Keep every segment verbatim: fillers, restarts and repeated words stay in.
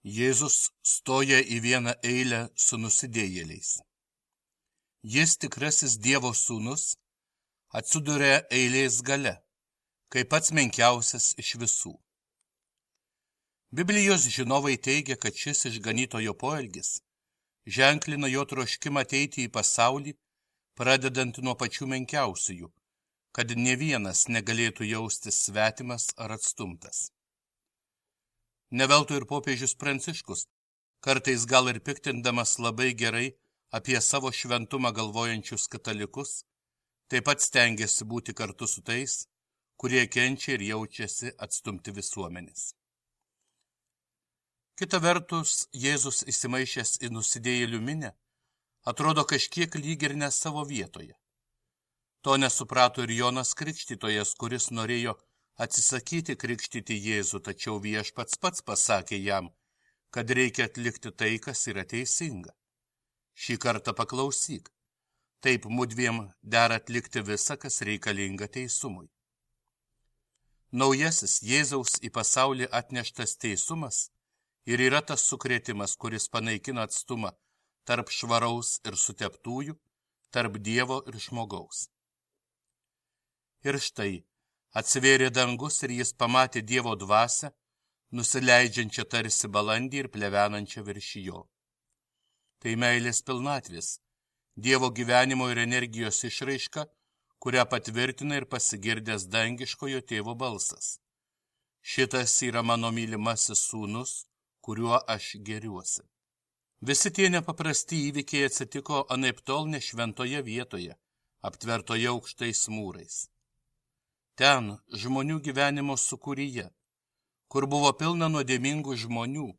Jėzus stoja į vieną eilę su nusidėjėliais. Jis, tikrasis Dievo sūnus, atsiduria eilės gale, kaip pats menkiausias iš visų. Biblijos žinovai teigia, kad šis išganytojo poelgis ženklina jo troškimą ateiti į pasaulį, pradedant nuo pačių menkiausiųjų, kad ne vienas negalėtų jaustis svetimas ar atstumtas. Ne veltui ir popiežius Pranciškus, kartais gal ir piktindamas labai gerai apie savo šventumą galvojančius katalikus, taip pat stengiasi būti kartu su tais, kurie kenčia ir jaučiasi atstumti visuomenės. Kita vertus, Jėzus įsimaišęs į nusidėjėlių minę, atrodo kažkiek lyg ir ne savo vietoje. To nesuprato ir Jonas Krikštytojas, kuris norėjo atsisakyti krikštyti Jėzų, tačiau viešpats pats pasakė jam, kad reikia atlikti tai, kas yra teisinga. Šį kartą paklausyk, taip mudviem dera atlikti visą, kas reikalinga teisumui. Naujasis Jėzaus į pasaulį atneštas teisumas ir yra tas sukrėtimas, kuris panaikina atstumą tarp švaraus ir suteptųjų, tarp Dievo ir žmogaus. Ir štai, atsivėrė dangus ir jis pamatė Dievo dvasią, nusileidžiančią tarsi balandį ir plevenančią virš jo. Tai meilės pilnatvės, Dievo gyvenimo ir energijos išraiška, kurią patvirtina ir pasigirdęs dangiškojo tėvo balsas. Šitas yra mano mylimasis sūnus, kuriuo aš gėriuosi. Visi tie nepaprasti įvykiai atsitiko anaiptol ne šventoje vietoje, aptvertoje aukštais mūrais. Ten, žmonių gyvenimo sūkuryje, kur buvo pilna nuodėmingų žmonių,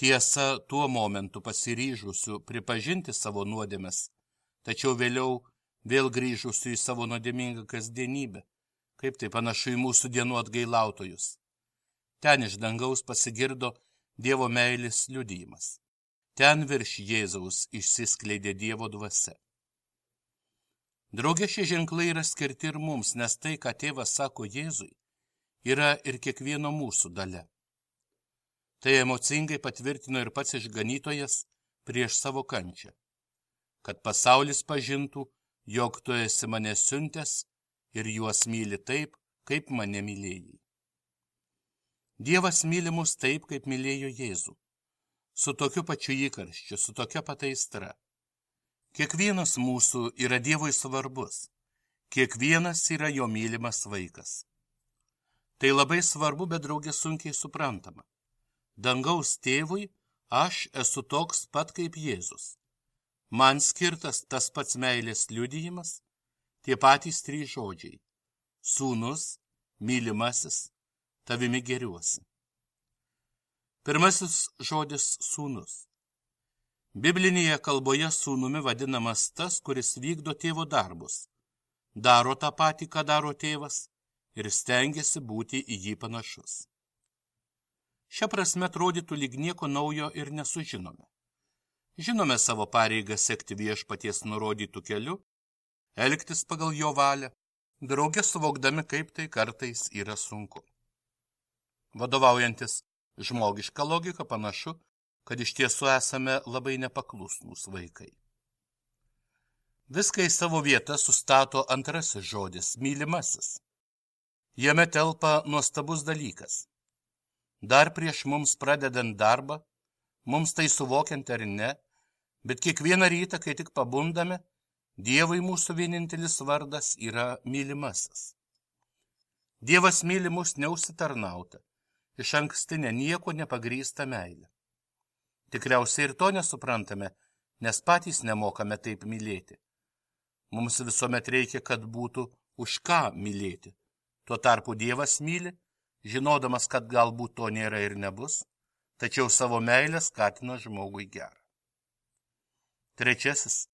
tiesa tuo momentu pasiryžusių pripažinti savo nuodėmes, tačiau vėliau vėl grįžusių į savo nuodėmingą kasdienybę, kaip tai panašu į mūsų dienų atgailautojus. Ten iš dangaus pasigirdo Dievo meilės liudijimas. Ten virš Jėzaus išsiskleidė Dievo dvasia. Drauge šie ženklai yra skirti ir mums, nes tai, ką tėvas sako Jėzui, yra ir kiekvieno mūsų dalia. Tai emocingai patvirtino ir pats išganytojas prieš savo kančią, kad pasaulis pažintų, jog tu esi mane siuntęs ir juos myli taip, kaip mane mylėjai. Dievas myli mus taip, kaip mylėjo Jėzų, su tokiu pačiu įkarščiu, su tokia pat aistra. Kiekvienas mūsų yra Dievui svarbus, kiekvienas yra jo mylimas vaikas. Tai labai svarbu, bet drauge sunkiai suprantama. Dangaus tėvui aš esu toks pat kaip Jėzus. Man skirtas tas pats meilės liudijimas, tie patys trys žodžiai. Sūnus, mylimasis, tavimi gėriuosi. Pirmasis žodis sūnus. Biblinėje kalboje sūnumi vadinamas tas, kuris vykdo tėvo darbus, daro tą patį, ką daro tėvas ir stengiasi būti į jį panašus. Šia prasme atrodytų lyg nieko naujo ir nesužinome. Žinome savo pareigą sekti viešpaties nurodytų keliu, elgtis pagal jo valią, drauge suvokdami, kaip tai kartais yra sunku. Vadovaujantis žmogiška logika panašu, kad iš tiesų esame labai nepaklusnūs vaikai. Viską į savo vietą sustato antrasis žodis – mylimasis. Jame telpa nuostabus dalykas. Dar prieš mums pradedant darbą, mums tai suvokiant ar ne, bet kiekvieną rytą, kai tik pabundame, Dievui mūsų vienintelis vardas yra mylimasis. Dievas myli mus neužsitarnautą, iš ankstinę nieko nepagrįstą meilę. Tikriausiai ir to nesuprantame, nes patys nemokame taip mylėti. Mums visuomet reikia, kad būtų už ką mylėti. Tuo tarpu Dievas myli, žinodamas, kad galbūt to nėra ir nebus, tačiau savo meilę skatina žmogui gerą. Trečiasis,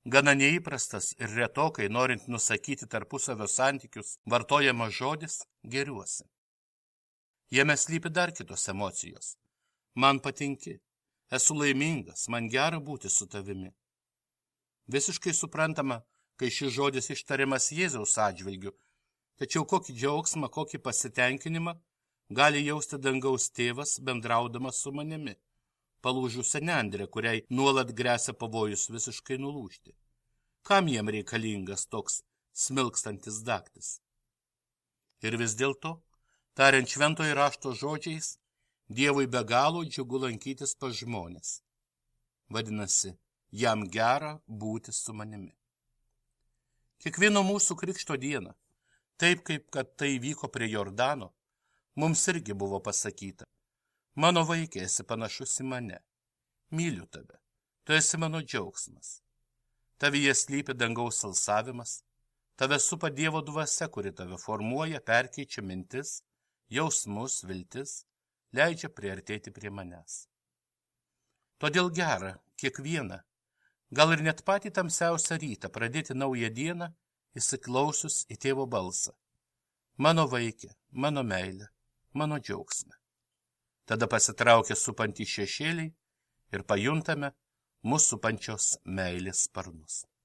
gana neįprastas ir retokai, norint nusakyti tarpusavio santykius, vartojamas žodis gėriuosi. Jame slypi dar kitos emocijos. Man patinki, esu laimingas, man gera būti su tavimi. Visiškai suprantama, kai šis žodis ištariamas Jėzaus atžvilgiu, tačiau kokį džiaugsmą, kokį pasitenkinimą gali jausti dangaus tėvas bendraudamas su manimi, palūžusią nendrę, kuriai nuolat gresia pavojus visiškai nulūžti. Kam jiem reikalingas toks smilkstantis daktis? Ir vis dėlto, tariant šventojo rašto žodžiais, Dievui be galo džiugu lankytis pas žmonės. Vadinasi, jam gera būti su manimi. Kiekvieno mūsų krikšto dieną, taip kaip kad tai vyko prie Jordano, mums irgi buvo pasakyta: mano vaikai, esi panašus į mane, myliu tave, tu esi mano džiaugsmas. Tavyje slypi dangaus alsavimas, tave supa Dievo dvasia, kuri tave formuoja, perkeičia mintis, jausmus, viltis, leidžia priartėti prie manęs. Todėl gera kiekvieną, gal ir net patį tamsiausią rytą pradėti naują dieną, įsiklausius į tėvo balsą. Mano vaikė, mano meilė, mano džiaugsme. Tada pasitraukia supantys šešėliai ir pajuntame mūsų supančios meilės sparnus.